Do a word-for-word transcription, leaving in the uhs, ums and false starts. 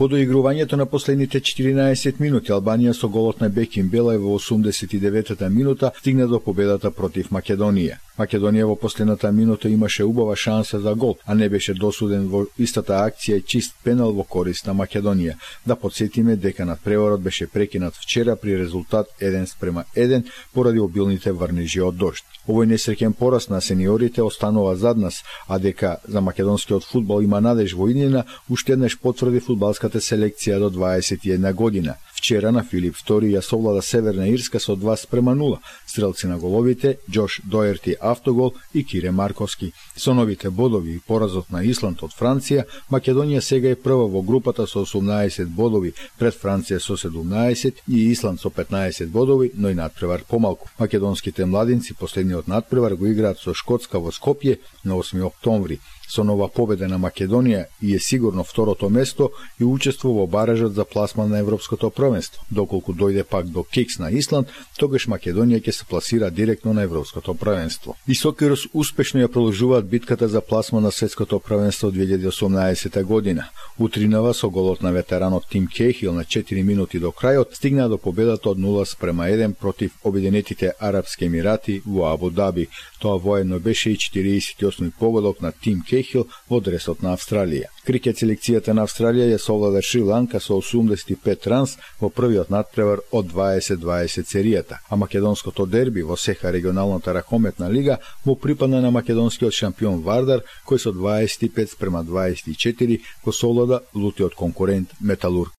По доигрувањето на последните четиринаесет минути, Албанија со голот на Бекин Белај во осумдесет и деветата минута стигна до победата против Македонија. Македонија во последната минута имаше убава шанса за гол, а не беше досуден во истата акција и чист пенал во корист на Македонија. Да подсетиме дека надпреварот беше прекинат вчера при резултат еден спрема еден поради обилните врнежи од дожд. Овој несреќен пораз на сениорите останува зад нас, а дека за македонскиот фудбал има надеж во иднина, уште еднаш потврди фудбалската селекција до дваесет и една година. Вчера на Филип втори ја совлада Северна Ирска со два спрема нула. Стрелци на головите Џош Доерти автогол и Кире Марковски. Со новите бодови и поразот на Исланд од Франција, Македонија сега е прва во групата со осумнаесет бодови, пред Франција со седумнаесет и Исланд со петнаесет бодови, но и надпревар помалку. Македонските младинци последниот надпревар го играат со Шкотска во Скопје на осми октомври. Со нова победа на Македонија и е сигурно второто место и учество во баражот за пласман на Европското првенство. Доколку дојде пак до кекс на Исланд, тогаш Македонија ќе се пласира директно на Европското првенство. И Сокерус успешно ја продолжуваат битката за пласман на Светското првенство две илјади и осумнаесета година. Утринава со голот на ветеранот Тим Кејхил на четири минути до крајот стигна до победата од нула спрема еден против Обединетите Арапски Емирати во Абу Даби. Тоа воедно беше и четириесет и осми погодок на Тим Кејхил во дресот на Австралија. Крикет селекцијата на Австралија ја совлада Шри Ланка со осумдесет и пет ранс во првиот надпревар од дваесет дваесет серијата, а македонското дерби во Сеха регионалната ракометна лига му припадна на македонскиот шампион Вардар, кој со дваесет и пет спрема дваесет и четири го совлада лутиот конкурент Металург